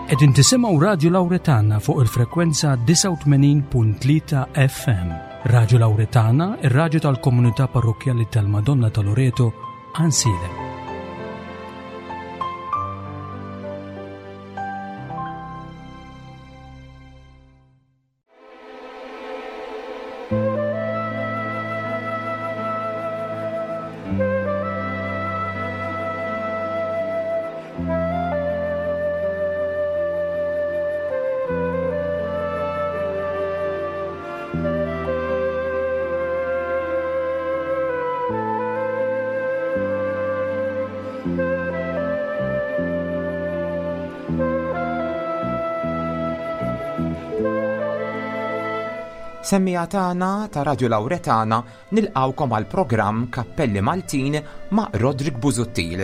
Qegħdin tisimgħu Radju Lawretana fuq il-frekwenza 89.3 FM. Radju Lawretana, ir-radju tal-komunità parrokkjali tal-Madonna ta' Loreto, Ansilem. Semmiegħa tagħna ta' Radju Lawretana nilqgħukom għal programm Kappelli Maltin ma' Roderick Busuttil.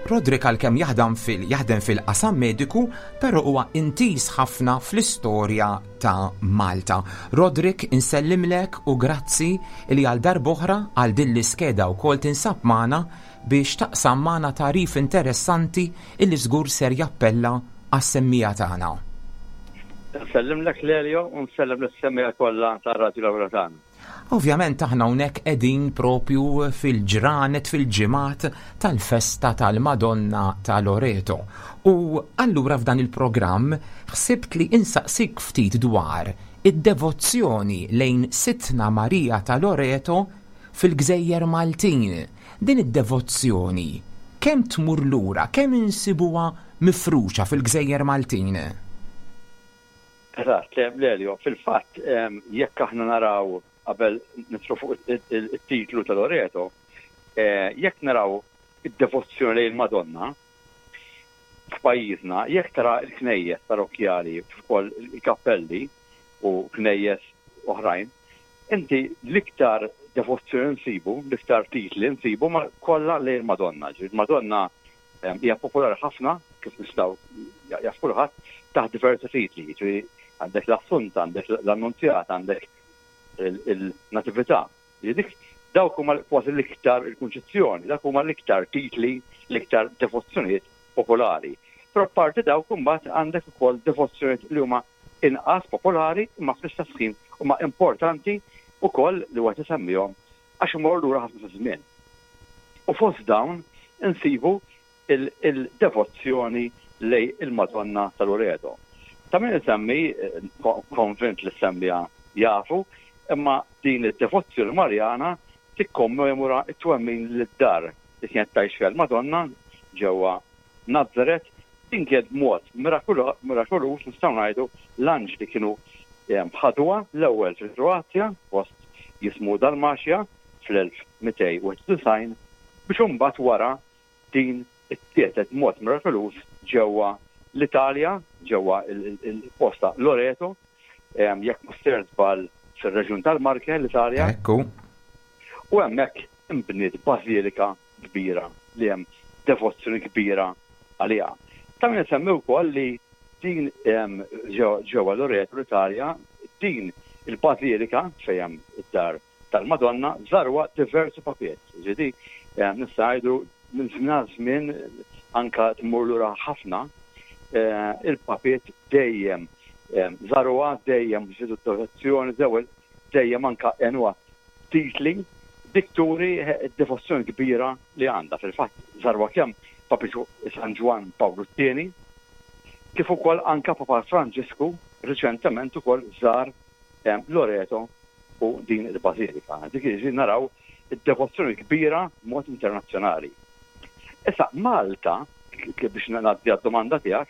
Roderick għalkemm jaħdem fil jaħdem fil-qasam mediku, però huwa intiż ħafna fl-istorja ta' Malta. Roderick, insellimlek u grazzi li għal darb'oħra għal din l-iskeda wkoll tinsab magħna biex taqsam magħna tagħrif interessanti illi żgur ser jappella għas-semmiegħa tagħna. Nsellimlek Lelio u nsellem lis-semmiegħa kollha tar-Radju Lawra tagħna. Ovvjament aħna hawnhekk qegħdin propju fil-ġranet, fil-ġimgħat tal-festa tal-Madonna ta' Loreto. U allura f'dan il-programm ħsibt li insaqsik ftit dwar id-devozzjoni lejn Sidtna Marija ta' Loreto fil-gżejjer Maltin. Din id-devozzjoni kemm tmur lura, kemm insibuha mifruxa fil-gżejjer Maltin? Eżatt, Lelio, fil-fatt jekk aħna naraw qabel nidħlu fuq it-titlu ta' Loreto, jekk naraw id-devozzjoni lejn il-Madonna f'pajjiżna, jekk tara l-knejjes parrokkjali kif ukoll il-kappelli u knejjes oħrajn, inti l-iktar devozzjoni nsibu, l-iktar titli nsibu ma kollha lejn il-Madonna. Ġifieri il-Madonna Hija popolari ħafna, kif nistgħu jaf kulħadd, taħt diversi titli, jiġifieri għandek l-Assunta, għandek l-Annunzjata, għandek il-Natività. Dik dawk huma kważi l-iktar il-Kunċizzjoni, dawk huma l-iktar titli, l-iktar devozzjonijiet popolari. Però apparti dawk imbagħad għandek ukoll devozzjonijiet li huma inqas popolari imma fl-istess ħin huma importanti wkoll li wieħed isemmihom għax imorru lura ħafna fiż-żmien. U fost dawn insibu il-devozzjoni lejn il-Madonna ta' Loreto. Ta' min isemmi, konvint li s-semmiegħa jafu, imma din id-devozzjoni Marjana tikkommemora t-twemmin li d-dar li kienet tgħix fiha l-Madonna ġewwa Nazaret din kienet b'mod mirakoluż nistgħu ngħidu l-anġli kienu ħaduha l-ewwel fil-Kroazja post jismu Dalmatia fl-1291 biex imbagħad wara din ittieħdet b'mod mirakoluż ġewwa l-Italja ġewwa l-post ta' Loreto jekk mhux sejjer żball fir-reġjun tal-Marche l-Italja. Ekku. U hemmhekk inbniet bażilika kbira li hemm devozzjoni kbira għaliha. Ta' min isemmi wkoll li din ġewwa Loreto l-Italja, din il-bażilika fejn hemm id-dar tal-Madonna żarwa diversi papiet. Ġifieri nista' ngħidu minn żmien għal żmien anka tmur lura ħafna il-papiet dejjem żaruha, dejjem żiedu d-devozzjoni, dejjem anka għenuha titli, dik turi d-devozzjoni kbira li għandha. Fil-fatt żarwa kemm Papa San Ġwann Pawlu t-Tieni, kif ukoll anka Papa Franġisku riċentement ukoll żar Loreto u din il-bażilika. Dik jiġifieri naraw id-devozzjoni kbira b'mod internazzjonali. Issa Malta, biex ngħaddi għad-domanda tiegħek,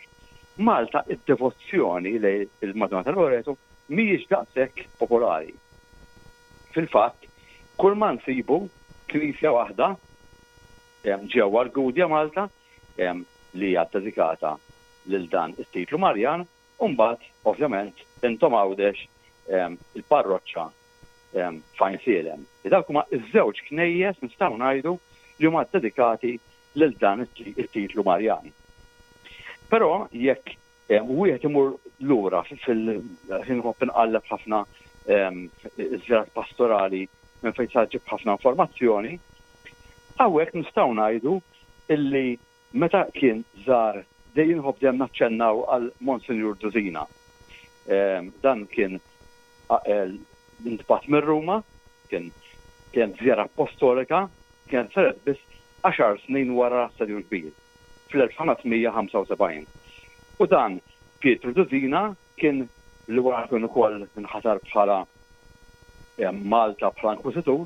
Malta id-devozzjoni lejn il-Madonna ta' Loreto mhijiex daqshekk popolari. Fil-fatt, kull ma nsibu knisja waħda ġewwa l-Gudja Malta li hija ddedikata lil dan it-titlu Marjan u mbagħad ovvjament intom Għawdex il-parroċċa f'Għajnsielem. Dawk huma ż-żewġ knejjes nistgħu ngħidu li huma ddedikati lil dan it-titlu Marjan. Però jekk Wieħed imur lura fil-ħin nħobb inqalleb ħafna iż-żjarat pastorali. minn fejn tista' ġġib ħafna informazzjoni. Hawnhekk nistgħu ngħidu illi meta kien żar dejjem inħobb dejjem naċċennaw għal Monsinjur Dusina. Dan kien intbagħat minn Ruma, kien kienet żjara appostolika, kienet saret biss għaxar snin wara l-Assedju l-Kbir, fl-1575. U dan Pietru Dusina kien li wara kien ukoll inħatar bħala Malta bħala inkwiżitur,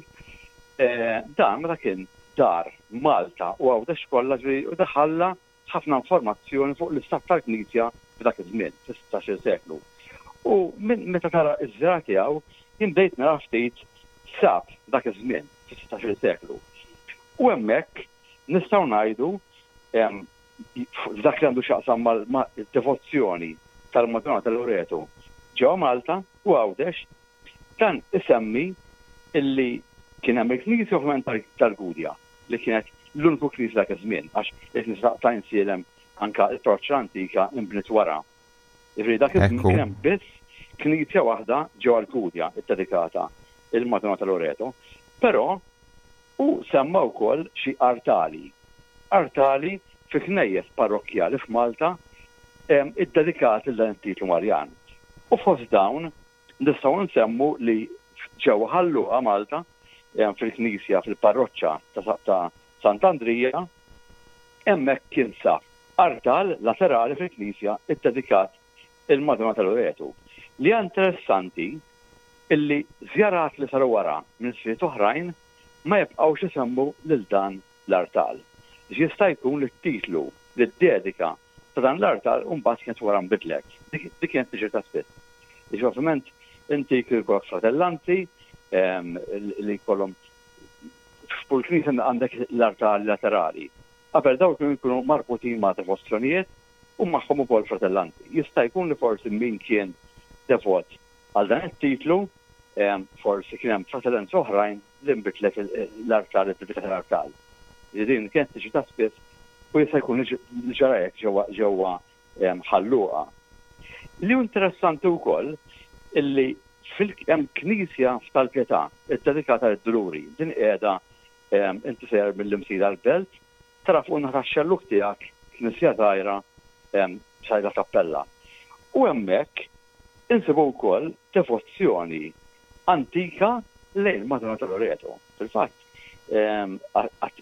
dan meta kien dar Malta u Għawdex kollha ġifieri u daħalla ħafna informazzjoni fuq l-istat tal-Knisja f'dak iż-żmien, fis-sittax-il seklu. U minn meta tara ż-żirgħa tiegħu, jien bdejt nara ftit x'sab dak iż-żmien, fis-sittax-il seklu. U hemmhekk nistgħu ngħidu f'dak li għandu x'jaqsam mad-devozzjoni tal-Madonna ta' Loreto ġewwa Malta u Għawdex, dan isemmi illi kien hemm il-knisja ovvjament tal-Gudja li kienet l-uniku knisja dak iż-żmien għax il-knisja ta' Għajnsielem anke l-parroċċa l-antika nbniet wara. Jiġifieri dak iż-żmien kien hemm biss knisja waħda ġewwa l-Gudja ddedikata lill-Madonna ta' Loreto. Però Hu semma wkoll xi artali, artali fi knejjes parrokkjali f'Malta ddedikati lil dan it-titlu Marjan. U fost dawn nistgħu nsemmu li ġewwa Ħal Luqa, Malta, fil-knisja fil-parroċċa ta' Sant'Andrija, hemmhekk kien sab artal laterali fil-knisja ddedikat il-Madonna ta' Loreto. Li hija interessanti illi żjarat li saru wara minn sriet oħrajn ma jibqgħux isemmu lil dan l-artal. X'jista' jkun li t-titlu, li d-dedika ta' dan l-artal mbagħad kienet wara nbidlet. Dik kienet tiġri ta' spiss. Jiġifieri ovvjament inti kien ikollok fratellanti li jkollhom f'kull knisja għandek l-artali laterali. Qabel dawn kienu jkunu marbutin ma' devozzjonijiet u magħhom ukoll fratellanti. Jista' jkun li forsi min kien devot għal dan it-titlu, forsi kien hemm fratellanza oħrajn li nbidlet l-artal, id-dedika tal-artal. Li din kienet tiġi ta' spiss u jista' jkun li ġara hekk ġewwa Ħal Luqa. Li hu interessanti wkoll illi hemm knisja f'Tal-Pietà ddedikata lid-Duluri. Din qiegħda inti sejjer mill-Imsida l-Belt, tara fuq in-naħa tax-xellug tiegħek knisja żgħira b'sajda kappella. U hemmhekk insibu wkoll devozzjoni antika lejn il-Madonna ta' Loreto. Fil-fatt,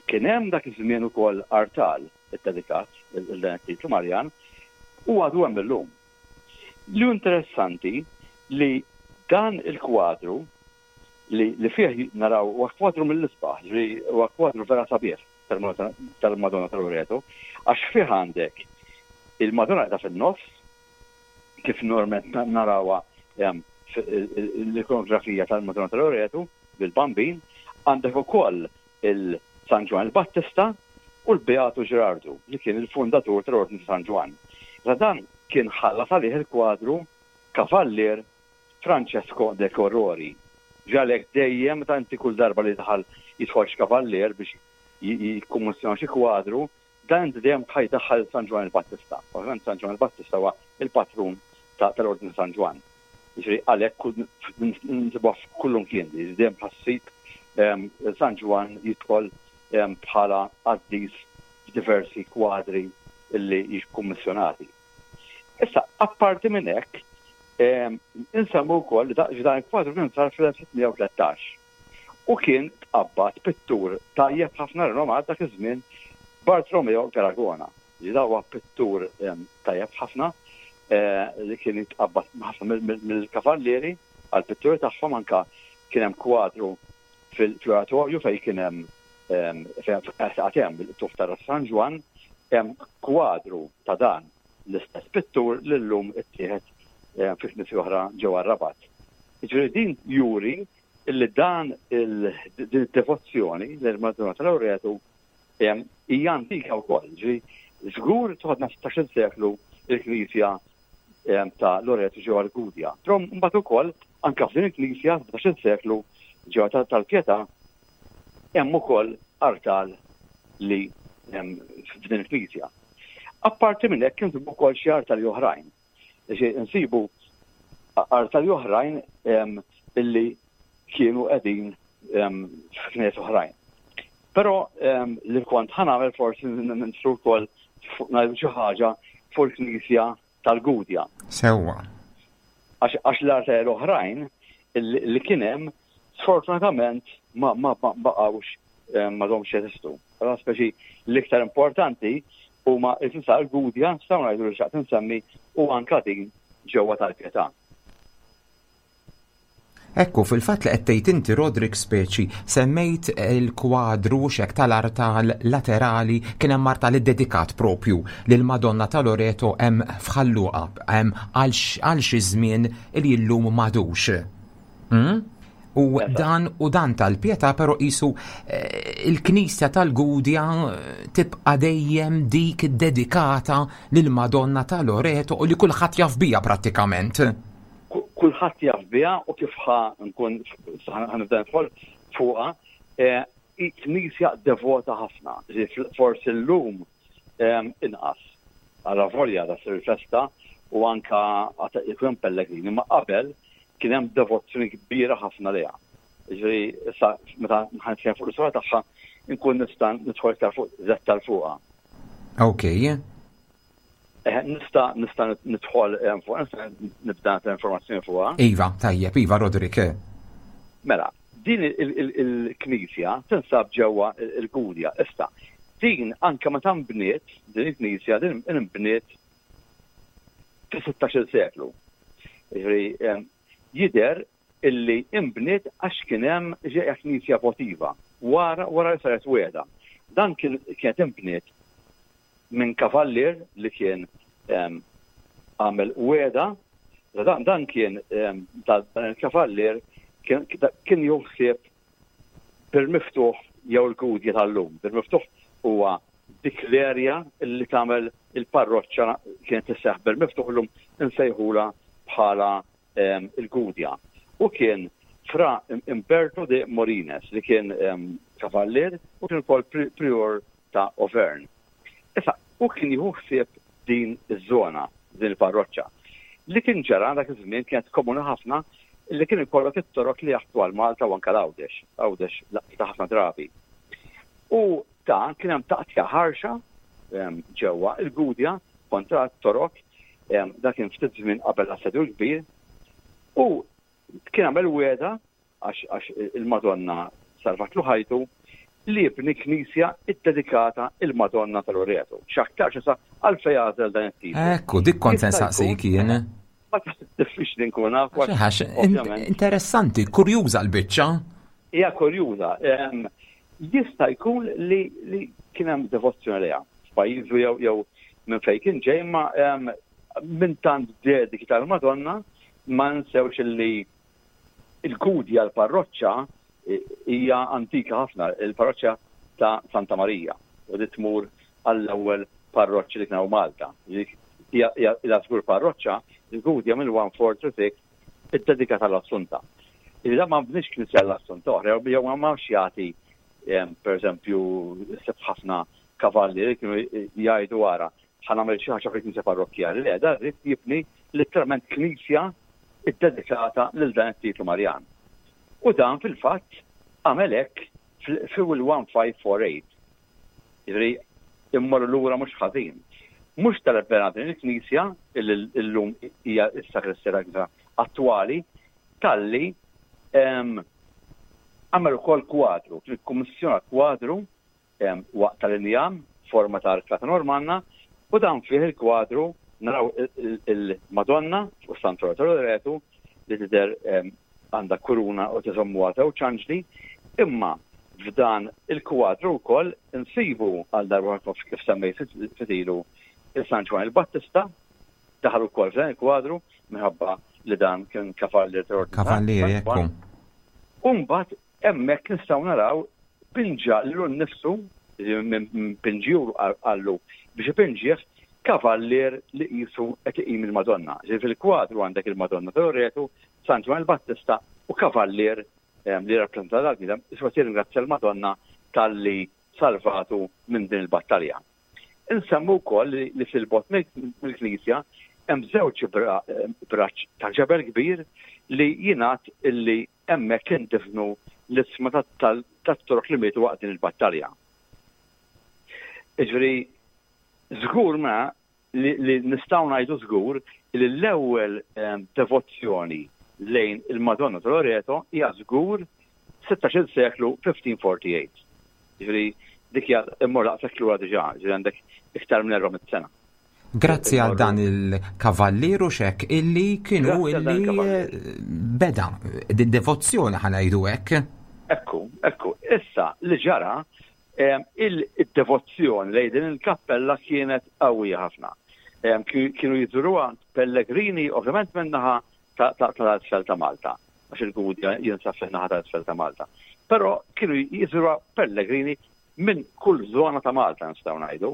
kien hemm dak iż-żmien ukoll artal iddedikat lil dan it-titlu Marjan u għadu hemm illum. Li hu interessanti li dan il-kwadru li li fih naraw huwa kwadru mill-isbaħ, ġifieri huwa kwadru vera sabiħ tal-Madonna ta' Loreto, għax fih għandek il-Madonna qiegħda fin-nofs, kif normalment narawha l-ikonografija tal-Madonna ta' Loreto bil-Bambin, għandek ukoll il-San Ġwann il-Battista u l-Beatu Ġerardu li kien il-fundatur tal-Ordni ta' San Ġwann. Issa dan kien ħallas għalih il-kwadru Kavallier Francesco de Corrori. Ġi għalhekk dejjem meta inti kull darba li daħal jidħol xi kavallier biex jikkummissjona xi kwadru, dan inti dejjem ħa jdaħħal San Ġwann il-Battista. Ovvjament San Ġwann il-Battista huwa il-patrun tal-Ordni ta' San Ġwann. Jiġifieri għalhekk nsibuha f'kullimkien li dejjem ħa ssib San Ġwann jidħol bħala qaddis f'diversi kwadri li jiġu kkummissjonati. Issa, apparti minn hekk, insemmu wkoll li dan il-kwadru kien sar fl-1613 u kien tqabbad pittur tajjeb ħafna rinomat dak iż-żmien Bartolomeo Garagona. Li da huwa pittur tajjeb ħafna li kien jitqabbad ħafna mill-kavallieri għall-pitturi tagħhom anka kien hemm kwadru fil-oratorju fejn kien hemm fejn għad hemm il-qtugħ ta' Ras San Ġwann, hemm kwadru ta' dan l-istess pittur li llum ittieħed fi knisja oħra ġewwa r-Rabat. Jiġifieri din juri li dan din id-devozzjoni lejn Madonna ta' Loreto hija antika wkoll. Ġifieri żgur toħodna 16-il seklu il-knisja ta' Loreto ġewwa l-Gudja. Però mbagħad ukoll anke f'din il-knisja 17-il seklu ġewwa tal-Pietà hemm ukoll artal li f'din il-knisja. Apparti minn hekk insibu wkoll xi artali oħrajn. Insibu artali oħrajn illi kienu qegħdin f'knejjes oħrajn. Però li kont ħa nagħmel forsi nidħlu wkoll ngħidu xi ħaġa fuq il-Knisja tal-Gudja. Sewwa. Għax l-arteri l-oħrajn li kien hemm sfortunatament ma baqgħux m'għadhomx jeżistu. Però speċi l-iktar importanti huma il-Knisja tal-Gudja, nistgħu ngħidu li xtaqt insemmi u anka din ġewwa tal-Pietà. Ekku, fil-fatt li qed tgħid inti Roderick speċi semmejt il-kwadru xek tal-artal laterali kien hemm artal iddedikat propju lil Madonna ta' Loreto hemm f'Ħal Luqa hemm għal xi żmien li llum m'għadux. Hmm? U dan u dan tal-pietà però qisu eh, il-Knisja tal-Gudja eh, tibqa' dejjem dik dedikata lil Madonna ta' Loreto u li kulħadd jaf bija prattikament. Kulħadd jaf biha u kif ħa nkun ħa nibda nidħol fuqha, eh, hi knisja devota ħafna, forsi llum eh, inqas. Għala volja da sir festa u anka jkun hemm pellegrini, ma qabel kien hemm devozzjoni kbira ħafna liha. Ġifieri issa meta ħan fuq l-istorja tagħha nkun nista' nidħol iktar fuq dettal fuqha. Okay. Eh, nista nista nidħol eh, fuq, nista nibda informazzjoni fuqha. Iva, tajjeb, iva, Roderick. Eh. Mela, din il-knisja tinsab ġewwa il-Gudja. Issa, din anke meta nbniet, din il-knisja din nbniet fis-16 seklu. Jiġifieri jidher illi inbniet għax kien hemm ġejja knisja votiva wara wara li saret wegħda. Dan kien kienet inbniet minn kavallier li kien għamel wegħda, dan, dan kien dan il-kavallier kien, kien jieħu ħsieb bil-miftuħ jew il-gudja tal-lum. Bil-miftuħ huwa dik l-erja li tagħmel il-parroċċa kienet tisseħ bil-miftuħ llum insejħula bħala il-Gudja u kien Fra Imberto de Morines li kien kavallier u kien ukoll prior ta' Auvergne. Issa, hu kien jieħu ħsieb din iż-żona, din il-parroċċa. Li kien ġara dak iż-żmien kienet komuni ħafna li kien ikollok it-torok li jaħbtu għal Malta u anke l-Għawdex, Għawdex laqtitha ħafna drabi. U ta' kien hemm taqtija ħarxa ġewwa il-Gudja kontra t-Torok, dak kien ftit żmien qabel l-Assedju l-Kbir, u kien għamel wegħda għax il-Madonna salvatlu ħajtu li jibni knisja ddedikata il-Madonna ta' Loreto. X'aktarx issa għalfejn għażel dan it-titlu. Ekku, dik kont se nsaqsik jien. Ma diffiċli nkun naf. Interessanti, kurjuża l-biċċa. Hija kurjuża. Jista' jkun li kien hemm devozzjoni lejha f'pajjiżu jew jew minn fejn kien ġej imma minn tant dediki tal-Madonna ma nsewx li il-Gudja l-parroċċa hija antika ħafna, il-parroċċa ta' Santa Marija u li tmur għall-ewwel parroċċi li kien hawn Malta. Hija żgur parroċċa, il-Gudja mill-1436 iddedikata l-Assunta. Iżda ma bniex knisja l-Assunta oħra, jew ma marx jagħti pereżempju seb ħafna kavalli li kienu jgħidu ara ħa nagħmel xi ħaġa fil-knisja parrokkjali. Le, dan ried jibni letteralment knisja ddedikata lil dan it-titlu Marjan. U dan fil-fatt għamel hekk fil-1548. Jiġifieri immorru lura mhux ħażin. Mhux tal-bena din il-knisja illi llum hija s-sagristija tal-knisja attwali, talli għamel ukoll kwadru, kien ikkummissjona kwadru waqt tal-injam forma ta' arkata Normanna u dan fih il-kwadru naraw il-Madonna u Santu Loretu li tidher għandha kuruna u tiżommuha żewġ anġli, imma f'dan il-kwadru wkoll insibu għal darba kif semmejt ftit ilu il-San Ġwann il-Battista daħal ukoll f'dan il-kwadru minħabba li dan kien kavallier tal-Ordni. Kavallier, ekku. U mbagħad hemmhekk nistgħu naraw pinġa lilu nnifsu, minn pinġiju qallu biex ipinġih kavallier li qisu qed iqim il-Madonna. Ġifieri fil-kwadru għandek il-Madonna ta' Loretu, San Ġwann il-Battista u kavallier li jirrappreżenta dal-bniedem qisu qed jirringrazzja l-Madonna talli salvatu minn din il-battalja. Insemmu wkoll li fil-bogħod mill-knisja hemm żewġ braċ ta' ġebel kbir li jingħad illi Hemmhekk indifnu l-isma tat-Torok li mietu waqt din il-battalja. Jiġifieri żgur ma li nistgħu ngħidu żgur li l-ewwel devozzjoni lejn il-Madonna ta' Loreto hija żgur 16-il seklu 1548. Jiġifieri dik hija immur daqshekk lura diġà, jiġifieri għandek iktar minn 400 sena. Grazzi għal dan il-kavallier u xek illi kienu illi beda din devozzjoni ħanajdu hekk. Ekku, ekku, issa li ġara il-devozzjoni lejn din il-kappella kienet qawwija ħafna. Kienu jżuruha pellegrini ovvjament min-naħa tal-isfel ta' Malta, għax il-Gudja jinsab fin-naħa tal-isfel ta' Malta. Però kienu jżuruha pellegrini minn kull żona ta' Malta nistgħu ngħidu.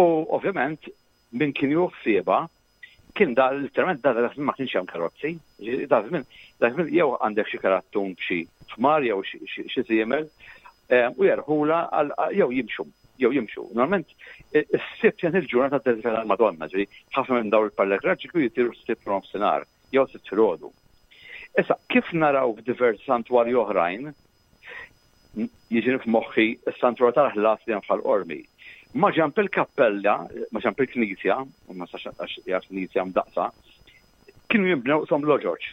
U ovvjament min kien jieħu ħsiebha kien da literalment da dak ma kienx hemm karozzi. Da żmien dak żmien jew għandek xi karattun b'xi ħmar jew xi żiemel eh, u jerħula jew jimxu jew jimxu. Normalment is-sibt kien il-ġurnata dedikata għall-Madonna, ġifieri ħafna minn dawn il-pellegrinaġġi kienu jsiru s-sibt nofsinhar jew sibt filgħodu. Issa kif naraw f'diversi santwarji oħrajn, Jiġini f'moħħi s-Santwarju tal-Ħlas li hemm f'Ħal Qormi. Ma ġenb il-kappella, ma ġenb il-knisja, ma nistax għax hija knisja mdaqqsa, kienu jinbnew qishom loġoġ.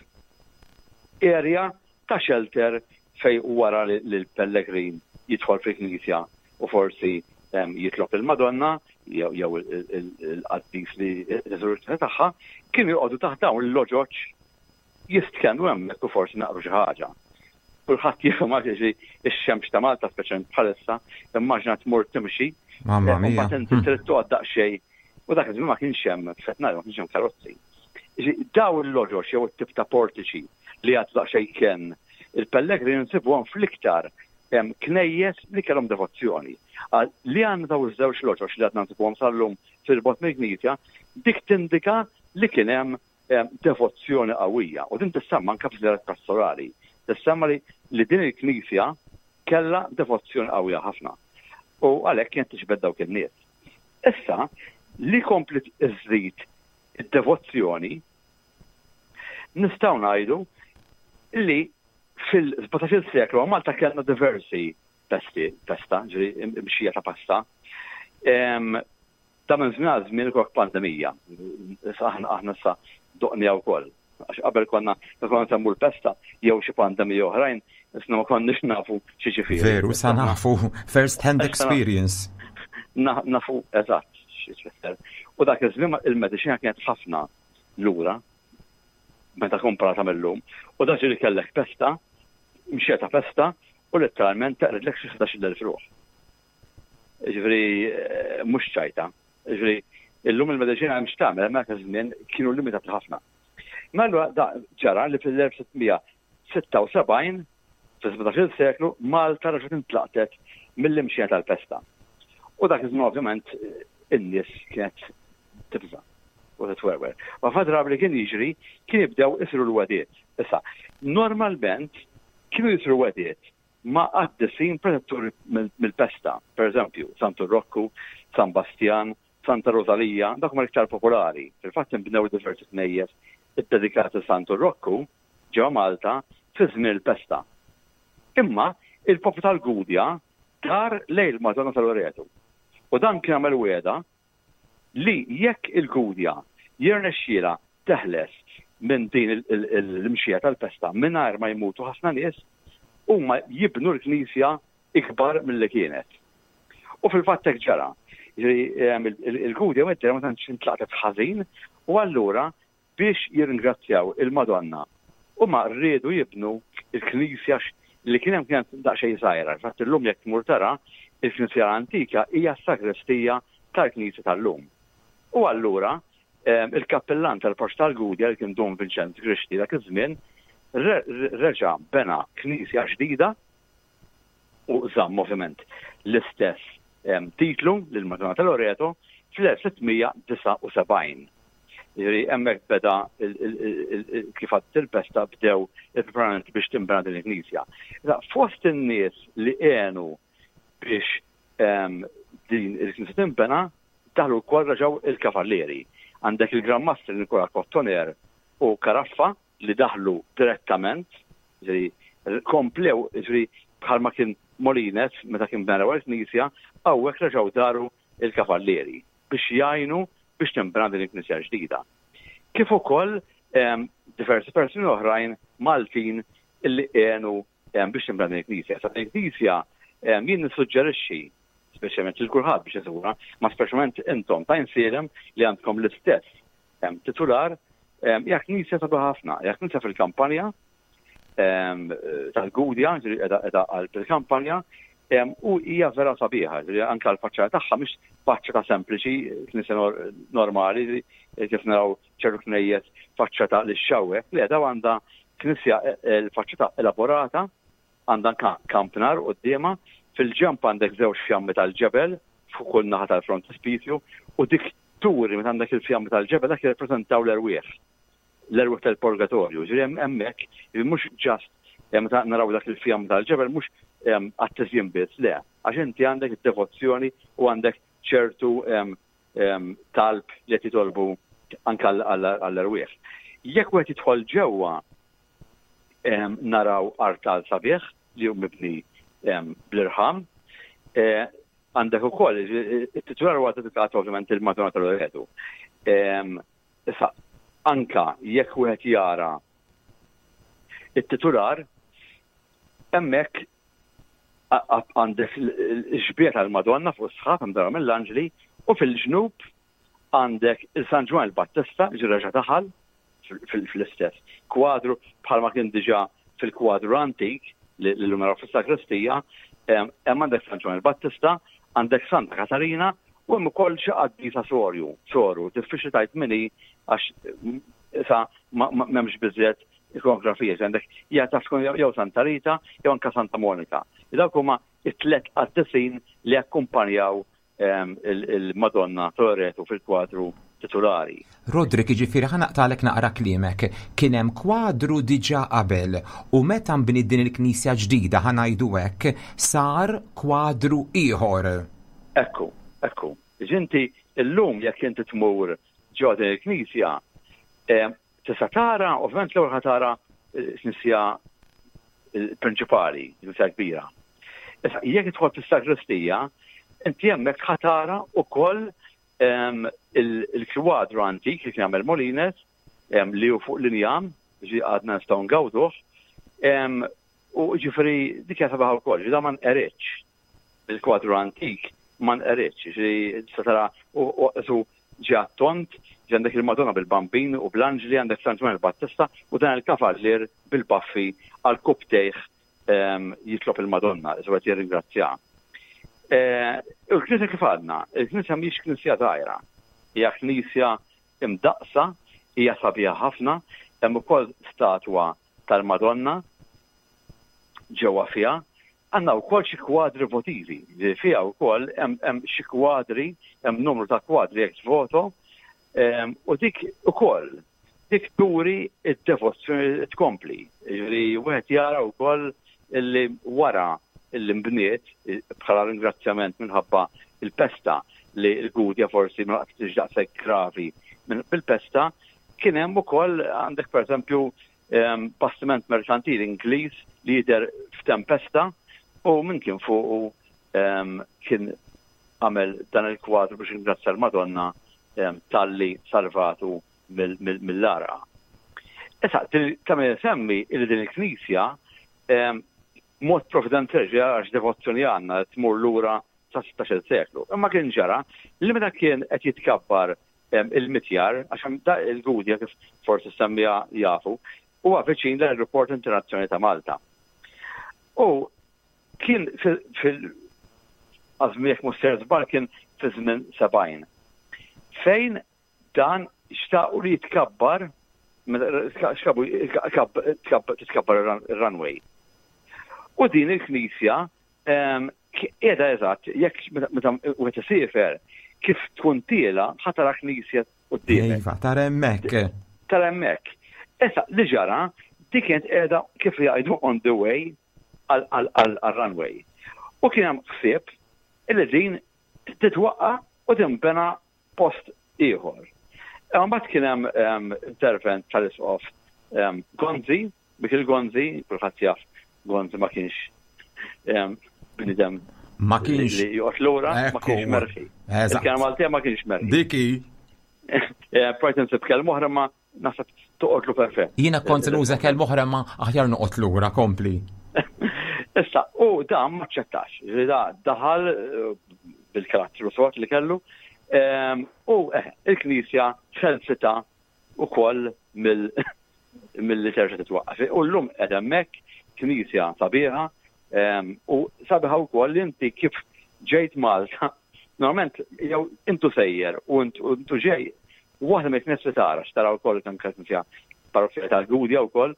Area ta' shelter fejn wara li l-pellegrin jidħol fil-knisja u forsi jitlob lill-Madonna jew il-qaddis li r-resurrezzjoni tagħha, kienu joqogħdu taħt dawn il-loġoġ jistkennu hemmhekk u forsi naqru xi ħaġa. Kulħadd jifhem għax jiġri x-xemx ta' Malta speċjalment bħalissa, immaġina tmur timxi. Mamma mia. Mbagħad inti trid toqgħod daqsxejn u dak iż-żmien ma kienx hemm fetnar, ma kienx hemm karozzi. Daw il-loġox jew it-tip ta' portiċi li għad daqsxejn kien il-pellegrini nsibuhom fl-iktar knejjes li kellhom devozzjoni. Li għandna daw iż-żewġ loġox li għadna nsibuhom sal-lum fil-bot mill-knisja, dik tindika li kien hemm devozzjoni qawwija u din tissemma anke f'żjarat pastorali. Tissemma li, li din il-knisja kellha devozzjoni qawwija ħafna u għalhekk kienet tiġbed dawk in-nies. Issa, li komplet iżżid id-devozzjoni nistgħu ngħidu li fil-17 seklu Malta kellna diversi pesti, pesta, ġifieri imxija ta' pasta. Ta' minn żmien għal żmien ikollok pandemija. Issa aħna aħna issa doqniha wkoll. Għax qabel konna meta konna nsemmu l-pesta jew xi pandemija oħrajn, issa ma konniex nafu xi ġifieri. Veru, sa nafu first hand experience. Nafu eżatt xi tfisser. U dak iż-żmien il-mediċina kienet ħafna lura meta komparata mill-lum. U dak ġieli kellek pesta, mxija ta' pesta, u letteralment teqridlek xi 11,000 ruħ. Jiġifieri mhux ċajta. Jiġifieri illum il-mediċina hemm x'tagħmel, imma dak iż-żmien kienu limitati ħafna. Mela allura da ġara li fil-1676, fis-17-il seklu, Malta reġgħet intlaqtet mill-imxija tal-pesta. U dak iż-żmien ovvjament in-nies kienet tibża' u titwerwer. U ħafna drabi li kien jiġri kien jibdew isiru l-wegħdiet. Issa, normalment kienu jsiru wegħdiet ma' qaddisin protetturi mill-pesta, pereżempju, Santu Rokku, San Bastjan, Santa Rosalija, dawk huma l-iktar popolari. Fil-fatt inbnew diversi knejjes iddedikati lil Santu Rokku ġewwa Malta fi żmien il-pesta. Imma il-poplu tal-Gudja dar lejn il-Madonna ta' Loreto u dan kien għamel wegħda li jekk il-Gudja jirnexxielha teħles minn din l-imxija tal-pesta mingħajr ma jmutu ħafna nies, huma jibnu l-knisja ikbar milli kienet. U fil-fatt hekk ġara. Il-Gudja mid-dehra ma tantx intlaqtet ħażin u allura biex jirringrazzjaw il-Madonna huma riedu jibnu l-knisja li kien hemm kienet daqsxejn żgħira. Infatti llum jekk tmur tara, il-knisja l-antika hija s-sagristija tal-knisja tal-lum. U allura il-kappillan tal-Parroċċa tal-Gudja li kien Dun Vinċenz Grixti dak iż-żmien reġa' bena knisja ġdida u żamm ovvjament l-istess titlu lil Madonna ta' Loreto fl-1679. Jiġifieri hemmhekk beda kif għaddiet il-pesta bdew il-preparamenti biex tinbena din il-knisja. Fost in-nies li għenu biex din il-knisja tinbena daħlu wkoll reġgħu il-kavallieri. Għandek il-Gran Mastri Nikola Kottoner u Caraffa li daħlu direttament, jiġifieri Komplew, jiġifieri bħalma kien Molines meta kien bena l-ewwel knisja, hawnhekk reġgħu daru l-kavallieri biex jgħinu biex tinbena din il-knisja ġdida. Kif ukoll diversi persuni oħrajn Maltin illi għenu biex tinbena din il-knisja. Sa din il-knisja jien nissuġġerixxi speċjalment lil kulħadd biex iżura, ma speċjalment intom ta' insielem li għandkom l-istess titular, hija knisja sabiħa ħafna, hija knisja fil-kampanja tal-Gudja, ġifieri qiegħda qalb il-kampanja, u hija vera sabiħa, ġifieri anke l-faċċata tagħha mhix faċċata sempliċi, knisja normali, kif naraw ċertu knejjes faċċata li xxawwek, le daw għandha knisja l-faċċata elaborata, għandha anke kampnar quddiemha, fil-ġenb għandek żewġ fjammi tal-ġebel fuq kull naħa tal-frontispizju u dik turi meta għandek il-fjammi tal-ġebel dak jirrappreżentaw l-erwieħ. L-erwieħ tal-purgatorju. Ġifieri hemm hemmhekk, mhux ġast meta naraw dak il-fjam tal-ġebel mhux għat-tiżjin biss, le, għax inti għandek id-devozzjoni u għandek ċertu talb li qed jitolbu anke għall-erwieħ. Jekk wieħed jidħol ġewwa naraw artal sabiħ li hu mibni bl-irħam. E, għandek ukoll it-titular huwa dedikat ovvjament il-Madonna tal-Loreto. Issa, anka jekk wieħed jara it-titular, hemmhekk għandek l-xbieha tal-Madonna fuq is-sħab imdawra mill-anġli u fil-ġnub għandek il-San Ġwann il-Battista ġi reġa' daħal fl-istess kwadru bħalma kien diġà fil-kwadru antik li llum naraw fis-sagristija, hemm għandek San Ġwann il-Battista, għandek Santa Katarina u hemm ukoll xi qaddisa sorju, soru, diffiċli tgħid min hi għax issa m'hemmx biżżejjed ikonografija, għandek hija taf tkun jew Santa Rita jew anke Santa Monika. Dawk huma it-tliet qaddisin li akkumpanjaw il-Madonna Toreto fil-kwadru titulari. Roderick, jiġifieri ħa naqtagħlek naqra kliemek, kien hemm kwadru diġà qabel u meta nbniet din il-knisja ġdida ħa ngħidu hekk, sar kwadru ieħor. Ekku, ekku. Inti llum jekk inti tmur ġewwa din il-knisja, Tista' tara, ovvjament l-ewwel ħa tara l-knisja prinċipali, l-knisja kbira. Issa, jekk tidħol fis-sagristija, inti hemmhekk ħa tara wkoll ehm, il-kwadru antik li kien għamel Molines ehm, li hu fuq l-injam, ġi għadna nistgħu ngawduh, ehm, u ġifieri dik hija sabiħa wkoll, ġi da ma nqeritx. Il-kwadru antik ma nqeritx, ġifieri tista' tara u ġie għat-tond, ġie għandek il-Madonna bil-Bambin u bl-anġli, għandek San Ġwann il-Battista u dan il-kavallier bil-baffi għal kubbtejh ehm, jitlob il-Madonna, isu qed jirringrazzjaha. Eh, il-Knisja kif għadna, il-Knisja mhix knisja żgħira, hija knisja imdaqsa, hija sabiħa ħafna, hemm ukoll statwa tal-Madonna ġewwa fiha, Għandna wkoll xi kwadri votivi, li fiha wkoll hemm xi kwadri, hemm numru ta' kwadri ex voto, ehm, u dik ukoll dik turi id-devozzjoni tkompli. Ġifieri wieħed jara wkoll illi wara illi nbniet bħala ringrazzjament minħabba il-pesta li l-Gudja forsi ma laqtitx daqshekk gravi bil-pesta, kien hemm ukoll għandek pereżempju bastiment merkantili Ingliż li jidher f'tempesta u min kien fuqu kien għamel dan il-kwadru biex ringrazzja l-Madonna talli salvatu mill-għarqa. Issa, ta' min isemmi li din il-knisja mod providenzjali għax devozzjoni għandna tmur lura sa 16 seklu. Imma kien ġara li meta kien qed jitkabbar il-mitjar, għax hemm il-Gudja kif forsi semmija jafu, huwa viċin l-Aeroport Internazzjonali ta' Malta. U kien fil għażmiek mhux ser żball kien fi żmien 70. Fejn dan xtaqu li jitkabbar xkabu titkabbar ir-runway. U din il-knisja Qiegħda eżatt, jekk meta wieħed isiefer, kif tkun tiela ħa tara knisja quddiemek. Iva, tara hemmhekk. Tara hemmhekk. Issa li ġara, dik kienet qiegħda kif jgħidu on the way għal-runway. U kien hemm ħsieb illi din titwaqqa' u tinbena post ieħor. Imbagħad kien hemm intervent tal-Isqof Gonzi, Mikiel Gonzi, kulħadd jaf Gonzi ma kienx bnidem ma kienx li joqgħod lura, ma kienx merħi. Il-kelma Maltija ma kienx merħi. Diki. Eh, Projt insib kelma oħra ma naħseb toqgħodlu perfett. Jiena kont nuża kelma oħra ma aħjar noqgħod lura kompli. Issa, u dan ma ċettax, da daħal eh, bil-karattru sod li kellu, ehm, u eh, il-Knisja ħelsita ukoll mill milli terġa' titwaqqaf. U llum qed hemmhekk knisja sabiħa ehm, u sabiħa wkoll li inti kif ġejt Malta, normalment jew intu sejjer u intu ġej waħda mill-knisja li tara x'tara wkoll anke knisja parrokkja tal-Gudja wkoll,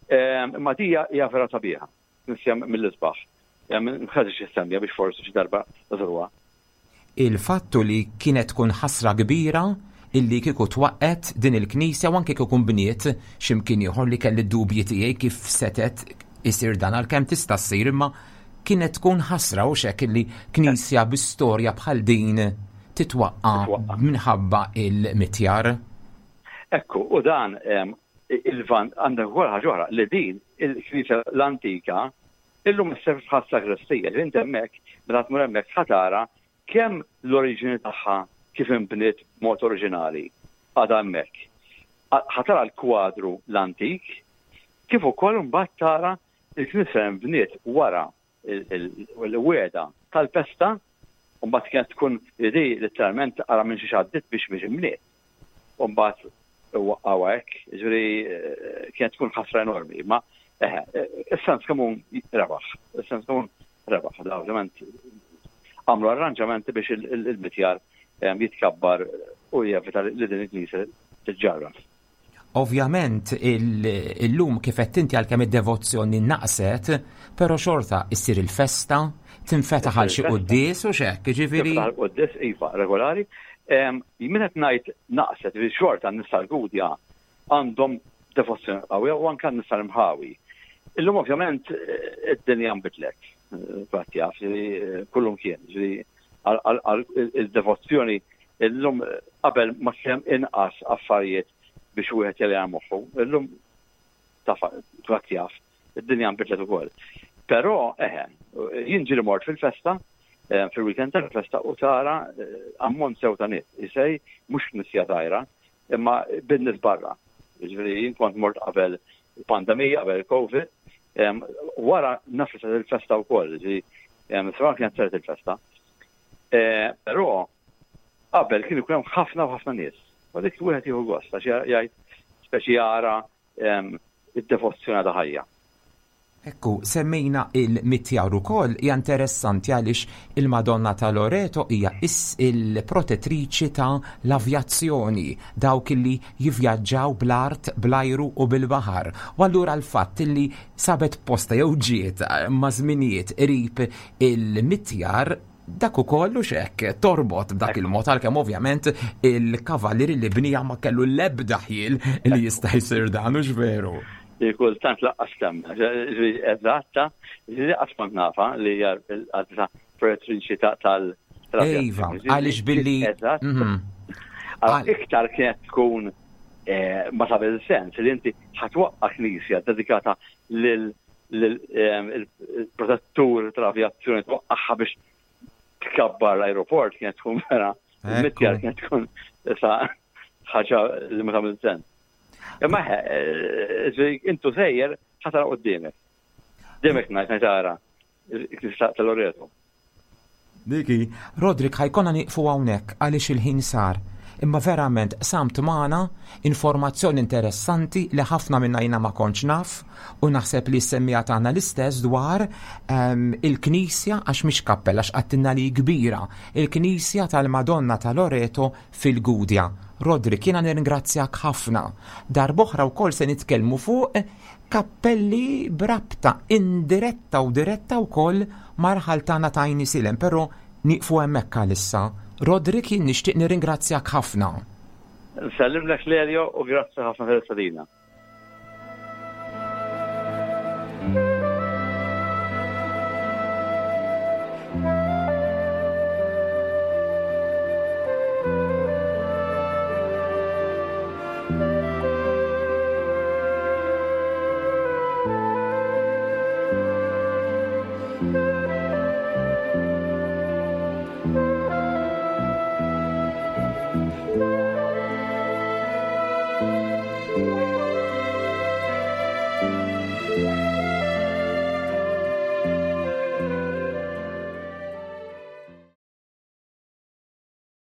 ehm, imma dija hija vera sabiħa, knisja mill-isbaħ. Ehm, Mħażix issemmija biex forsi xi darba żruha. Il-fatt hu li kienet tkun ħasra kbira illi kieku twaqqgħet din il-knisja u anke kieku nbniet xi mkien ieħor li kelli d-dubji tiegħi kif setgħet isir dan għalkemm tista' ssir imma kienet tkun ħasra hux hekk illi knisja bi storja bħal din titwaqqa' minħabba il-mitjar. Ekku, u dan il-van għandek ukoll ħaġa oħra li din il-knisja l-antika Illum isservi bħal sagristija, ġifieri inti hemmhekk meta tmur hemmhekk ħa tara kemm l-oriġini tagħha kif inbniet b'mod oriġinali għadha hemmhekk. Ħa tara l-kwadru l-antik, kif ukoll imbagħad tara l-knisja li nbniet wara l-wegħda tal-pesta, u mbagħad kienet tkun li letteralment ara minn xiex għaddiet biex biex inbniet. U mbagħad waqqgħuha hekk, jiġifieri eh, kienet tkun ħasra enormi, ma eħe, eh, is-sens komun rebaħ, is-sens komun rebaħ, da ovvjament għamlu arranġamenti biex il-mitjar eh, jitkabbar u jevita li din il-knisja tiġġarraf. Ovvjament illum kif qed inti għalkemm id-devozzjoni naqset, però xorta issir il-festa, tinfetaħ għal xi quddies u x'hekk, jiġifieri. Tinfetaħ quddies iva, regolari. Min qed ngħid naqset, jiġifieri xorta n-nies tal-Gudja għandhom devozzjoni qawwija u anke n-nies tal-imħawi. Illum ovvjament id-dinja nbidlet, kulħadd jaf, kullum kien, jiġifieri il-devozzjoni Illum qabel ma kien hemm inqas affarijiet biex wieħed jelgħa moħħu. Illum taf kulħadd jaf, id-dinja nbidlet ukoll. Però eħe, jien ġieli mort fil-festa, eh, fil-weekend tal-festa u tara eh, ammont sew ta' nies. Isej mhux knisja żgħira, imma bin-nies barra. Jiġifieri jien kont mort qabel il-pandemija, qabel il-Covid, wara naf li il-festa wkoll, ġifieri sewwa kienet saret il-festa. Eh, però qabel kien ikun hemm ħafna u ħafna nies. U dik wieħed jieħu gost għax jgħid speċi jara id-devozzjoni ta' ħajja. Ekku, semmejna il-mitjar ukoll, hija interessanti għaliex il-Madonna ta' Loreto hija il-protettriċi ta' l-avjazzjoni, dawk li jivvjaġġaw bl-art, bl-ajru u bil-baħar. U allura l-fatt li sabet posta jew ġiet ma' żminijiet qrib il-mitjar dak ukoll u xek torbot b'dak il-mod għalkemm ovvjament il-kavallieri li bnija ma kellu l-ebda ħjiel li jista' jsir dan u veru. Kultant laqqas temna, eżatta, laqqas kont nafa li hija l-qadsa protettriċi tal Iva, għaliex billi. Eżatt. Mhm. Iktar kienet tkun eh, ma tagħmel sens li inti ħatwaqqa knisja dedikata lil il-protettur tal-avjazzjoni twaqqaħħa biex tkabbar l-aeroport kienet tkun vera, il-mitjar kienet tkun sa ħaġa li ma tagħmel sens. Imma eh, intu sejjer ħatara qudiemek. Demek ngħid tara il-Knisja tal-Loreto. Diki. Roderick ħa jkollna nieqfu hawnhekk għaliex il-ħin sar. Imma verament qsamt magħna informazzjoni interessanti li ħafna minna jiena ma kontx naf u naħseb li s-semmiegħa tagħna l-istess dwar ehm, il-knisja għax mhix kappella għax qattilna li kbira, il-knisja tal-Madonna ta' Loreto fil-Gudja. Roderick, jiena nirringrazzjak ħafna. Darb'oħra wkoll se nitkellmu fuq Kappelli b'rabta indiretta u diretta wkoll mar-raħal tagħna ta' Għajn Isilem, però nieqfu hemmhekk għalissa. Roderick jien nixtieq nirringrazzjak ħafna. Nsellimlek Lelio u grazzi ħafna tal-istedina.